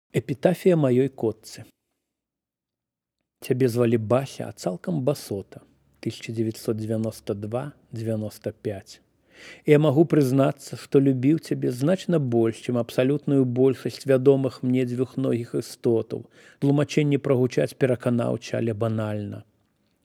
Эпітафія маёй котцы. Цябе звалі Бася, а цалкам басота. 1992-95. Я магу прызнацца, што любіў цябе значна больш, чым абсалютную большасць вядомых мне дзвюхногіх істотаў. Тлумачэнні прагучаць пераканаўча, але банальна.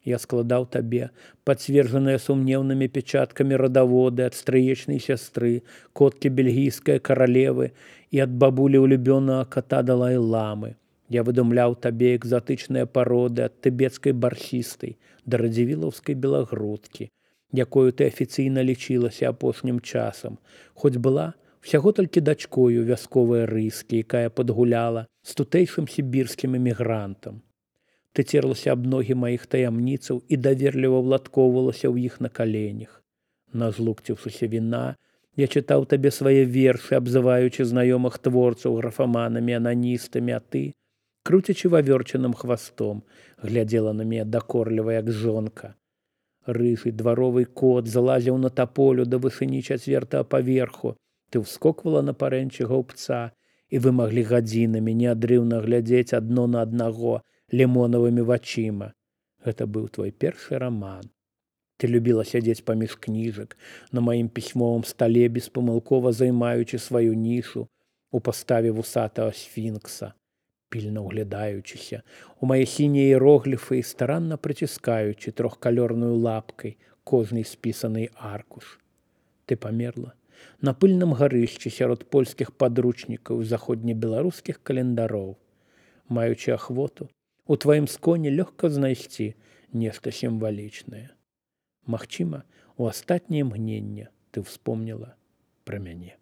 Я складаў табе пацверджаныя сумнеўнымі печаткамі радаводы ад стрыечнай сястры, коткі бельгійскай каралевы і ад бабулі ўлюбёнага ката Далай-ламы. Я выдумляў табе экзатычныя пароды ад тыбецкай барсістай да радзівілаўскай белагрудкі, якою ты афіцыйна лічылася апошнім часам, хоць была ўсяго толькі дачкою вясковай рыскі, якая падгуляла з тутэйшым сібірскім эмігрантам. Ты церлася аб ногі маіх таямніцаў і даверліва ўладкоўвалася ў іх на каленях. Назлукціўшыся віна, я чытаў табе свае вершы, абзываючы знаёмых творцаў графаманамі, ананістамі, а ты, круцячы вавёрчаным хвастом, глядзела на мяне дакорліва, як жонка. Рыжы дваровы кот залазіў на таполю да вышыні 4-го паверху. Ты ўскоквала на парэнчы гаўбца, і вы маглі гадзінамі неадрыўна глядзець адно на аднаго лімонавымі вачыма. Гэта быў твой першы раман. Ты любіла сядзець паміж кніжак на маім пісьмовым стале, беспамылкова займаючы сваю нішу у паставе вусатага сфінкса, пільна ўглядаючыся у мае сінія іерогліфы і старанна прыціскаючы трохкалёрную лапкай кожны спісаны аркуш. Ты памерла на пыльным гарышчы сярод польскіх падручнікаў і заходнебеларускіх календароў. Маючы ахвоту, у тваім сконе лёгка знайсці нешта сімвалічнае. Магчыма, у астатняе мгненне ты ўспомніла пра мяне.